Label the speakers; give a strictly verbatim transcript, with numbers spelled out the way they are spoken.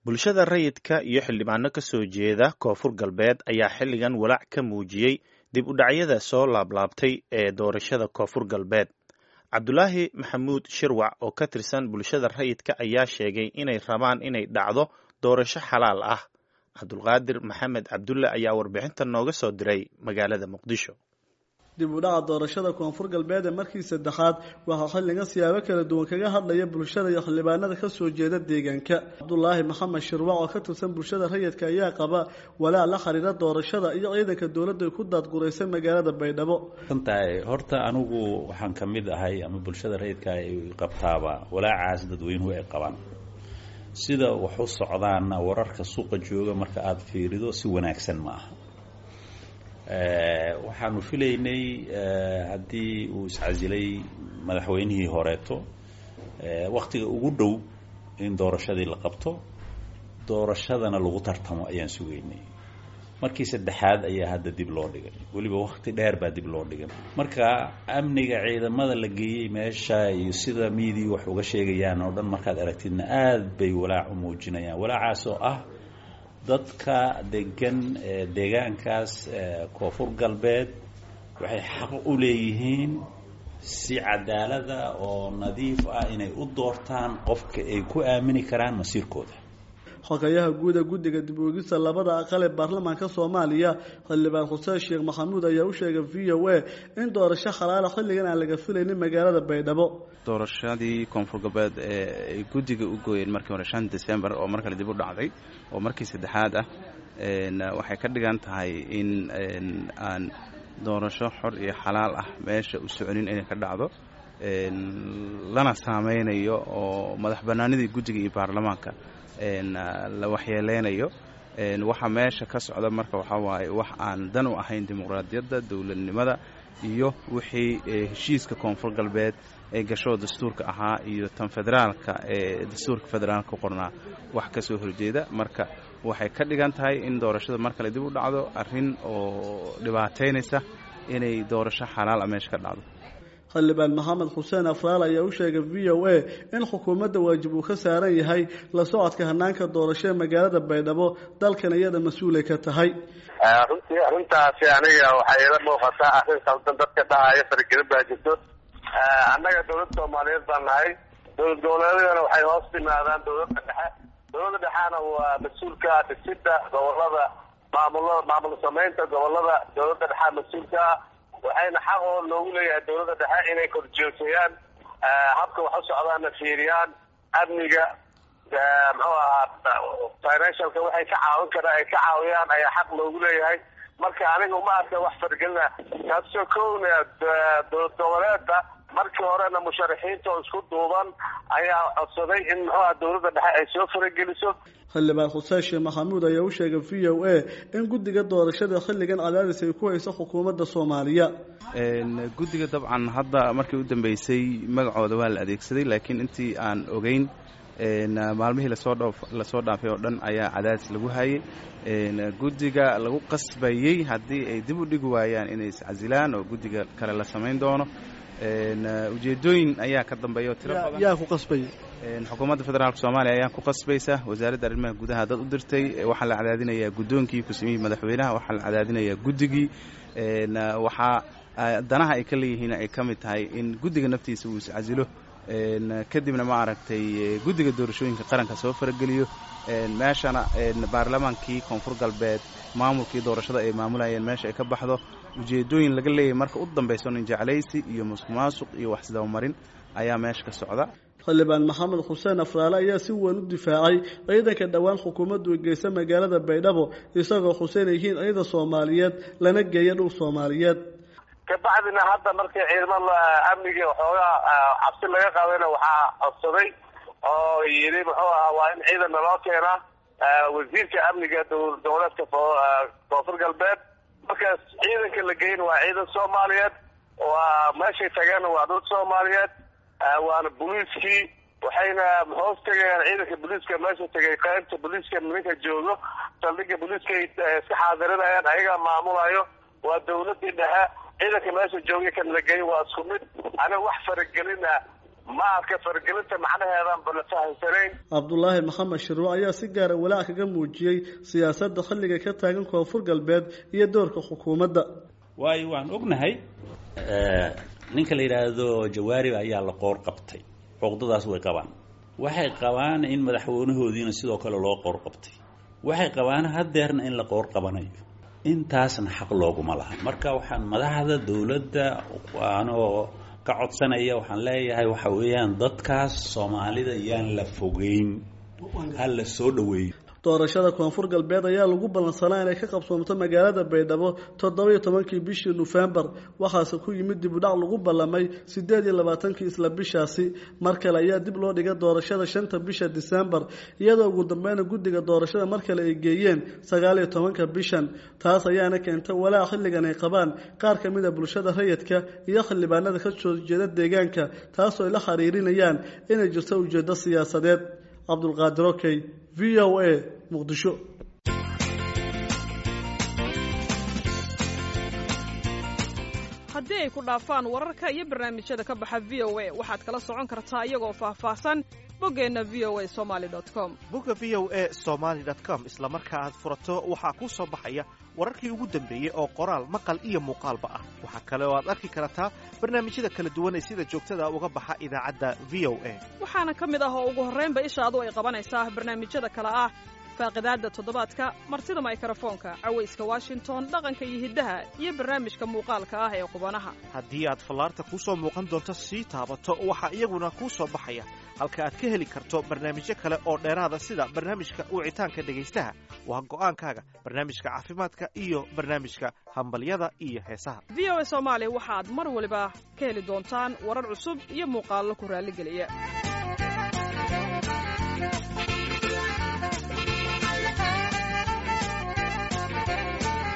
Speaker 1: Bulshada rayidka iyo xildhibaano ka soo jeeda Koonfur Galbeed ayaa xilligan walaac ka muujiyey dib u dhacyada soo laablaabtay ee doorashada Koonfur Galbeed. Cabdulaahi Maxamuud Shirwac oo ka tirsan bulshada rayidka ayaa sheegay inay rabaan inay dhacdo doorasho xalaal ah. Cabdulqaadir Maxamed Cabdulle ayaa warbixintan nooga soo diray magaalada Muqdisho.
Speaker 2: Dib u dhaca doorashada Koonfur Galbeed ee markii saddexaad waxaa xilligan siyaabo kala duwan kaga hadlaya bulshada iyo xildhibaanada ka soo jeeda deegaanka. Cabdulaahi Maxamed Shirwac oo ka tirsan bulshada rayidka ayaa qaba walaac la xiriira doorashada iyo ciidanka dowladda ku daadguraysa magaalada Baydhabo.
Speaker 3: Tahay horta anigu waxaan ka mid ahay ama bulshada rayidka ay qabtaaba walaacaas dadweynuhu ay qabaan. Sida wax u socdaana wararka suuqa jooga marka aada fiirido si wanaagsan ma aha. Waxaanu filaynay haddii uu iscasilay madaxweynihii horeeto waktiga ugu dhow in doorashadii la qabto, doorashadana lagu tartamo ayaan sugaynay. Markii saddexaad ayaa hadda dib loo dhigay, weliba wakti dheer baa dib loo dhigay. Marka amniga ciidamada la geeyey meesha iyo sida miidii wax uga sheegayaan oo dhan markaad aragtidna aad bay walaac u muujinayaan. Walaacaas oo ah dadka degan deegaankaas Koonfur Galbeed waxay xaq u leeyihiin si cadaalada oo nadiif ah inay u doortaan qofka ay ku aamini karaan masiirkooda.
Speaker 2: Xogayaha guud ee guddiga dib u eegista labada aqal ee baarlamaanka Soomaaliya xildhibaan Xuseen Sheekh Maxamuud ayaa u sheegay V O A in doorasho xalaal xilligan aan laga filaynin magaalada Baydhabo.
Speaker 4: Doorashadii Koonfur Galbeed ee ay guddiga u gooyeen markii hore shan December oo mar kale dib u dhacday oo markii saddexaad ah, waxay ka dhigan tahay in aan doorasho xor iyo xalaal ah meesha u soconin inay ka dhacdo, lana saameynayo oo madax bannaanidii guddiga iyo baarlamaanka la waxyeeleynayo. Waxa meesha ka socda marka waxaa waaye wax aan dan u ahayn dimuqraadiyadda, dowladnimada iyo wixii heshiiska Koonfur Galbeed ee gasho dastuurka ahaa iyo tan federaalka ee dastuurka federaalka ku qornaa wax ka soo horjeeda. Marka waxay ka dhigan tahay in doorashada mar kale dib u dhacdo, arrin oo dhibaataynaysa inay doorasho xalaal ah meesha ka dhacdo.
Speaker 2: Xildhibaan Maxamed Xuseen Afraal ayaa u sheegay V O A in xukuumadda waajib uu ka saaran yahay la socodka hanaanka doorasho ee magaalada Baydhabo, dalkan iyada mas-uulay ka tahay.
Speaker 5: Runtii arrintaasi aniga waxay ila muuqataa arrin khaldan. Dadka dhahaya faragelin baa jirto. Annaga dowladda Soomaaliyeed baan nahay, dowlad goboleedyadana waxay hoos yimaadaan dowladda dhexe. Dowladda dhexena waa mas-uulka dhisidda gobolada, maamulada, maamul samaynta gobolada dowladda dhexe mas-uulka ah. Waxayna xaq oo loogu leeyahay dowladda dhexe inay korjoogteeyaan habka wax u socdaana, fiiriyaan amniga, muxuu ahaa financialka, waxay ka caawin karaan ay ka caawiyaan ayaa xaq loogu leeyahay. Marka aniga uma arka wax fargelina taasoo kowna. Dowlad goboleedka markii horena musharaxiinta oo isku duuban ayaa codsaday in muxuu aha dowladda dhexe ay soo farageliso.
Speaker 2: Xildhibaan Xuseen Sheekh Maxamuud ayaa u sheegay V O A in guddiga doorashada xilligan cadaadis ay ku hayso xukuumadda Soomaaliya.
Speaker 4: Guddiga dabcan hadda markii u dambeysay magacooda waa la adeegsaday, laakiin intii aan ogeyn maalmihii lasoo dhoof lasoo dhaafay oo dhan ayaa cadaadis lagu hayay guddiga, lagu qasbayey haddii ay dib u dhigi waayaan inay iscasilaan oo guddiga kale la samayn doono. Ujeedooyin ayaa ka dambeeya oo tiro badan.
Speaker 2: Yaa ku qasbayay?
Speaker 4: Xukuumadda federaalka Soomaaliya ayaa ku qasbaysa. Wasaaradda arrimaha gudaha dad u dirtay. Waxaa la cadaadinayaa guddoonkii ku-samiyihii madaxweynaha, waxaa la cadaadinayaa guddigii. Waxaa danaha ay ka leeyihiin ay ka mid tahay in guddiga naftiisa uu iscasilo, kadibna ma aragtay guddiga doorashooyinka qaranka soo farageliyo meeshana, baarlamaankii Koonfur Galbeed maamulkii doorashada ay maamulayeen meesha ay ka baxdo. Ujeedooyin laga leeyahay marka u dambayso nin jeclaysi iyo musuq maasuq iyo wax isdabamarin ayaa meesha ka socda.
Speaker 2: Xildhibaan Maxamed Xuseen Afraale ayaa si weyn u difaacay ciidanka dhowaan xukuumaddu geysa magaalada Baydhabo, isagoo xuseen yihiin ciidan Soomaaliyeed lana geeya dhul Soomaaliyeed.
Speaker 5: Kabacdina hadda markii ciidamada amniga waxoogaa cabsi laga qaadayna, waxaa codsaday oo yidhi muxuu ahaa waa in ciidan naloo keenaa wasiirka amniga dowlad goboleedka Koonfur Galbeed. Markaas ciidanka la geyn waa ciidan Soomaaliyeed, waa meeshay tageenna waa dhul Soomaaliyeed, waana booliiskii. Waxayna hoos tegayaan ciidanka booliiska meesha tegay, qaybta booliiska ninka joogo saldhigga booliiska ay iska xaadirinayaan, ayagaa maamulayo. Waa dowladii dhexe. Ciidanka meesha joogay kan la geyn waa isku mid. Aniga wax faragelina Ma arka faragelinta macnaheedaanba la fahamsanayn.
Speaker 2: Cabdulaahi Maxamed Shirwac ayaa si gaara walaac kaga muujiyey siyaasadda xilliga ka taagan Koonfur Galbeed iyo doorka xukuumadda.
Speaker 3: Waayo waan ognahay ninka la yidhaahdo Jawaarib ayaa la qoor qabtay, cuqdadaas way qabaan. Waxay qabaan in madaxweynahoodiina sidoo kale loo qoor qabtay, waxay qabaan haddeerna in la qoor qabanayo, intaasna xaq looguma laha. Marka waxaan madaxda dowladda anoo ka codsanaya waxaan leeyahay waxa weeyaan dadkaas Soomaalida yaan la fogeyn, ha la soo dhoweeyo.
Speaker 2: Doorashada Koonfur Galbeed ayaa lagu ballansanaa inay ka qabsoomto magaalada Baydhabo toddoba iyo tobankii bishii Nofembar, waxaase ku yimid dib u dhac lagu ballamay siddeed iyo labaatankii isla bishaasi. Mar kale ayaa dib loo dhigay doorashada shanta bisha Disembar, iyadoo ugu dambeyna guddiga doorashada mar kale ay geeyeen sagaal iyo tobanka bishan. Taas ayaana keentay walaac xilligan ay qabaan qaar ka mid a bulshada rayidka iyo xildhibaanada ka soo jeeda deegaanka, taasoo ay la xiriirinayaan inay jirto ujeeddo siyaasadeed. Cabdulqaadir Okey, V O A, Muqdisho.
Speaker 6: Haddii ay ku dhaafaan wararka iyo barnaamijyada ka baxa V O A, waxaad kala socon kartaa iyagoo faahfaahsan boggeenna V O A Somali com.
Speaker 7: Bogga V O A Somaly com isla marka aad furato waxaa kuu soo baxaya wararkii ugu dambeeyey oo qoraal, maqal iyo muuqaalba ah. Waxaa kale oo aad arki kartaa barnaamijyada kala duwan ee sida joogtada uga baxa idaacadda V O A.
Speaker 6: Waxaana ka mid ah oo ugu horraynba ishaadu ay qabanaysaa barnaamijyada kale ah faaqidaadda toddobaadka, martida maykarafoonka, cawayska Washington, dhaqanka iyo hiddaha, iyo barnaamijka muuqaalka ah ee qubanaha.
Speaker 7: Haddii aad fallaarta kuu soo muuqan doonto sii taabato, waxaa iyaguna kuu soo baxaya halka aad ka heli karto barnaamijyo kale oo dheeraada sida barnaamijka wicitaanka dhegaystaha, waa go'aankaaga, barnaamijka caafimaadka iyo barnaamijka hambalyada iyo heesaha.
Speaker 6: V O A Soomaali waxaad mar waliba ka heli doontaan warar cusub iyo muuqaallo ku raalligeliya.